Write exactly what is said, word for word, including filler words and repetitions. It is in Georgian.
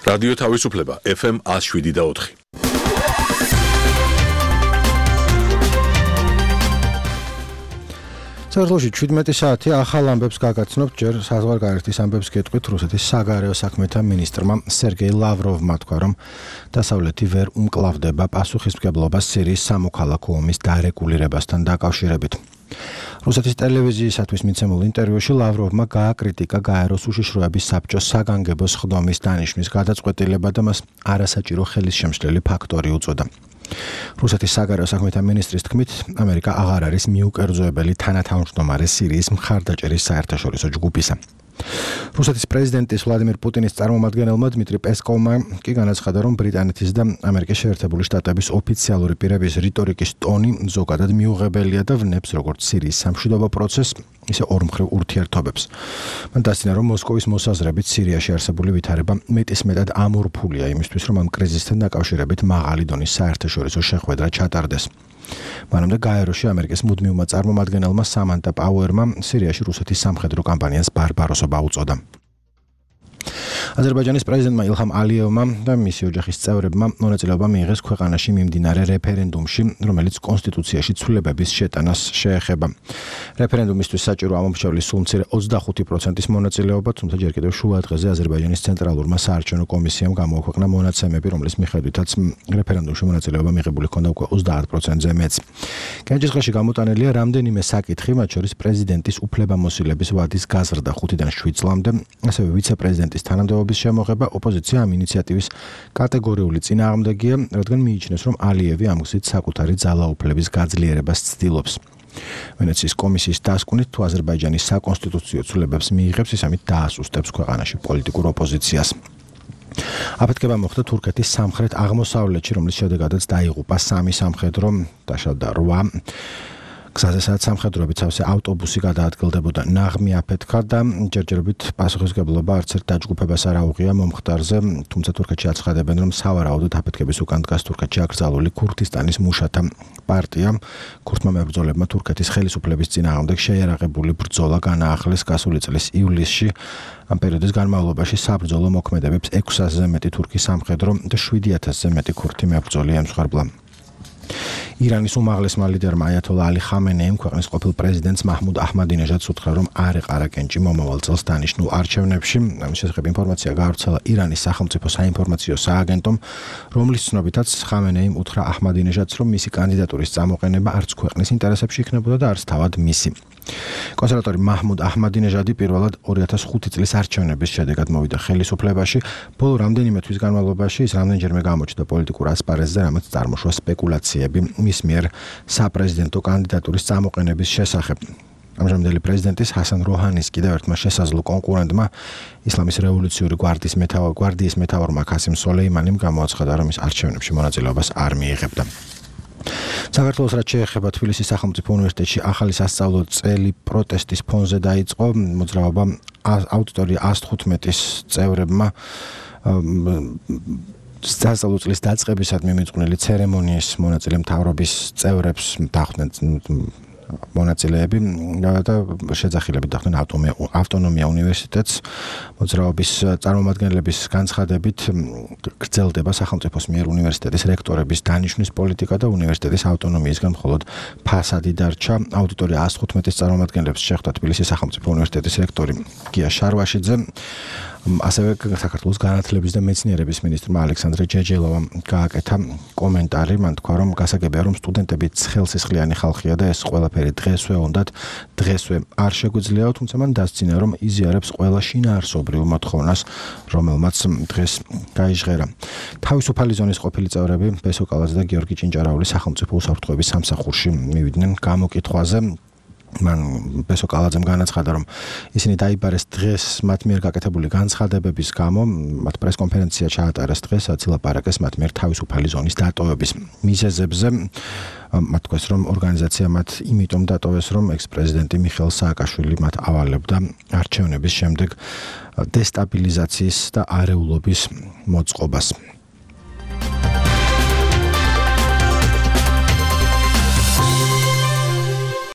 რადიო თავისუფლება ეფ ემ ათს შვიდი და ოთხი. საქართველოში ჩვიდმეტი საათი ახალ ამბებს გაგაცნობთ ჯერ საზღვარგარეთის ამბებს გეტყვით რუსეთის საგარეო საქმეთა მინისტრმა სერგეი ლავროვმა თქვა, რომ დასავლეთი ვერ უმკლავდება პასუხისმგებლობას სირიის სამოქალაქო ომის დარეგულირებასთან დაკავშირებით. რუსეთის ტელევიზიისათვის მიცემულ ინტერვიუში ლავროვმა გააკრიტიკა გაეროს უშიშროების საბჭოს საგანგებო სხდომის დანიშვნის გადაწყვეტილება და მას არასაჭირო ხელისშემშლელი ფაქტორი უწოდა. რუსეთის საგარეო საქმეთა მინისტრის თქმით, ამერიკა აღარ არის მიუკერძოებელი თანათავმჯდომარე სირიის მხარდაჭერის საერთაშორისო ჯგუფისა. რუსეთის პრეზიდენტის ვლადიმირ პუტინის წარმომადგენელმა დმიტრი პესკოვმა კი განაცხადა, რომ ბრიტანეთის და ამერიკის შეერთებული შტატების ოფიციალური პირების რიტორიკის ტონი ზოგადად მიუღებელია და ვნებს როგორც სირიის სამშვიდობო პროცესს, ისე ორმხრივ ურთიერთობებს. მან დასცინა, რომ მოსკოვის მოსაზრებით სირიაში არსებული ვითარება მეტისმეტად ამორფულია იმისთვის, რომ ამ კრიზისთან დაკავშირებით მაღალი დონის საერთაშორისო შეხვედრა ჩატარდეს. მანამდე გაეროში ამერიკის მუდმივმა წარმომადგენელმა სამანტა პაუერმა სირიაში რუსეთის სამხედრო კამპანიას ბარბაროსობა უწოდა. აზერბაიჯანის პრეზიდენტმა ილჰამ ალიევმა და მისი ოჯახის წევრებმა მონაწილეობა მიიღეს ქვეყანაში მიმდინარე რეფერენდუმში, რომელიც კონსტიტუციაში ცვლილებების შეტანას შეეხება. რეფერენდუმისთვის საჭირო ამომრჩევლის სულ მცირე ოცდახუთი პროცენტის მონაწილეობა, თუმცა ჯერ კიდევ შუა დღეზე აზერბაიჯანის ცენტრალურმა საარჩევნო კომისიამ გამოაქვეყნა მონაცემები, რომლის მიხედვითაც რეფერენდუმში მონაწილეობა მიღებული ჰქონდა უკვე ოცდაათ პროცენტზე მეც. კენჭისყრაში გამოტანილია რამდენიმე საკითხი, მათ შორის პრეზიდენტის უფლებამოსილების ვადის გაზრდა ხუთიდან შვიდ წლამდე, ასევე ვიცე-პრეზიდენტის თანამდებობის შემოღება. ოპოზიცია ამ ინიციატივის კატეგორიული წინააღმდეგია, რადგან მიიჩნევს, რომ ალიევი ამ გზით საკუთარი ძალაუფლების გაძლიერებას ცდილობს. ვენეციის კომისიის დასკვნით, თუ აზერბაიჯანის საკონსტიტუციო ცვლილებებს მიიღებს, ის ამით დაასუსტებს ქვეყანაში პოლიტიკურ ოპოზიციას. აფეთქება მოხდა თურქეთის სამხრეთ აღმოსავლეთში, რომლის შედეგადაც დაიღუპა სამი სამხედრო, დაშავდა რვა. გზაზე სადაც სამხედროებით სავსე ავტობუსი გადაადგილდებოდა, ნაღმი აფეთქა და ჯერჯერობით პასუხისმგებლობა არც ერთ დაჯგუფებას არ აუღია მომხდარზე, თუმცა თურქეთში აცხადებენ, რომ სავარაუდოდ აფეთქების უკან დგას თურქეთში აკრძალული ქურთისტანის მუშათა პარტია. ქურთმა მებრძოლებმა თურქეთის ხელისუფლების წინააღმდეგ შეიარაღებული ბრძოლა განაახლეს გასული წლის ივლისში. ამ პერიოდის განმავლობაში საბრძოლო მოქმედებებს ექვს ათასზე მეტი თურქი სამხედრო და შვიდი ათასზე მეტი ქურთი მებრძოლი ემსხვერპლა. ირანის უმაღლესმა ლიდერმა აიათოლა ალი ხამენეიმ ქვეყნის ყოფილ პრეზიდენტს მაჰმუდ აჰმადინეჟადს უთხრა, რომ არ ეყარა კენჭი მომავალ წელს დანიშნულ არჩევნებში. ამის შესახებ ინფორმაცია გაავრცელა ირანის სახელმწიფო საინფორმაციო სააგენტომ, რომლის ცნობითაც ხამენეიმ უთხრა აჰმადინეჟადს, რომ მისი კანდიდატურის წამოყენება არც ქვეყნის ინტერესებში იქნებოდა და არც თავად მისი. კონსერვატორი მაჰმუდ აჰმადინეჟადი პირველად ორი ათას ხუთი წლის არჩევნების შედეგად მოვიდა ხელისუფლებაში. ბოლო რამდენიმე თვის განმავლობაში ის რამდენჯერმე გამოჩნდა პოლიტიკურ ასპარეზზე, რამაც წარმოშვა სპეკულაციები მის მიერ საპრეზიდენტო კანდიდატურის წამოყენების შესახებ. ამჟამინდელი პრეზიდენტის ჰასან როჰანის კიდევ ერთმა შესაძლო კონკურენტმა, ისლამის რევოლუციური გვარდიის მეთაურ გვარდიის მეთაურმა ქასიმ სოლეიმანიმ გამოაცხადა, რომ ის არჩევნებში მონაწილეობას არ მიიღებდა. საქართველოს რაც შეეხება თბილისის სახელმწიფო უნივერსიტეტში ახალი სასწავლო წელი პროტესტის ფონზე დაიწყო. მოძრაობა აუდიტორია ათს თხუთმეტის წევრებმა სასწავლო წლის დაწყებისადმი მიწყვნილი ცერემონიის მონაწილე მთავრობის წევრებს დახვდნენ მონაწილეები და შეძახილებით დახვდნენ ავტონომია უნივერსიტეტს. მოძრაობის წარმომადგენლების განცხადებით გრძელდება სახელმწიფოს მიერ უნივერსიტეტის რექტორების დანიშვნის პოლიტიკა და უნივერსიტეტის ავტონომიისგან მხოლოდ ფასადი დარჩა. აუდიტორია ათს თხუთმეტის წარმომადგენლებს შეხვდა თბილისის სახელმწიფო უნივერსიტეტის რექტორი გია შარვაშიძე. ასევე საქართველოს განათლების და მეცნიერების მინისტრმა ალექსანდრე ჯეჯელოვამ გააკეთა კომენტარი. მან თქვა, რომ გასაგებია, რომ სტუდენტები ცხელსისხლიანი ხალხია და ეს ყველაფერი დღესვე უნდათ დღესვე არ შეგვიძლია, თუმცა მან დასცინა, რომ იზიარებს ყველა შინაარსობრივ მოთხოვნას, რომელმაც დღეს გაიჟღერა. თავისუფალი ზონის ყოფილი წევრები ბესო კალაძე და გიორგი ჭინჭარაული სახელმწიფო უსაფრთხოების სამსახურში მივიდნენ გამოკითხვაზე. მან ბესო კალაძემ განაცხადა, რომ ისინი დაიბარეს დღეს მათ მიერ გაკეთებული განცხადებების გამო, მათ პრესკონფერენცია ჩაატარეს დღეს, რაც ილაპარაკეს მათ მიერ თავისუფალი ზონის დატოვების მიზეზებზე. მათ თქვეს, რომ ორგანიზაცია მათ იმიტომ დატოვეს, რომ ექს-პრეზიდენტი მიხეილ სააკაშვილი მათ ავალებდა არჩევნების შემდეგ დესტაბილიზაციის და არეულობის მოწყობას.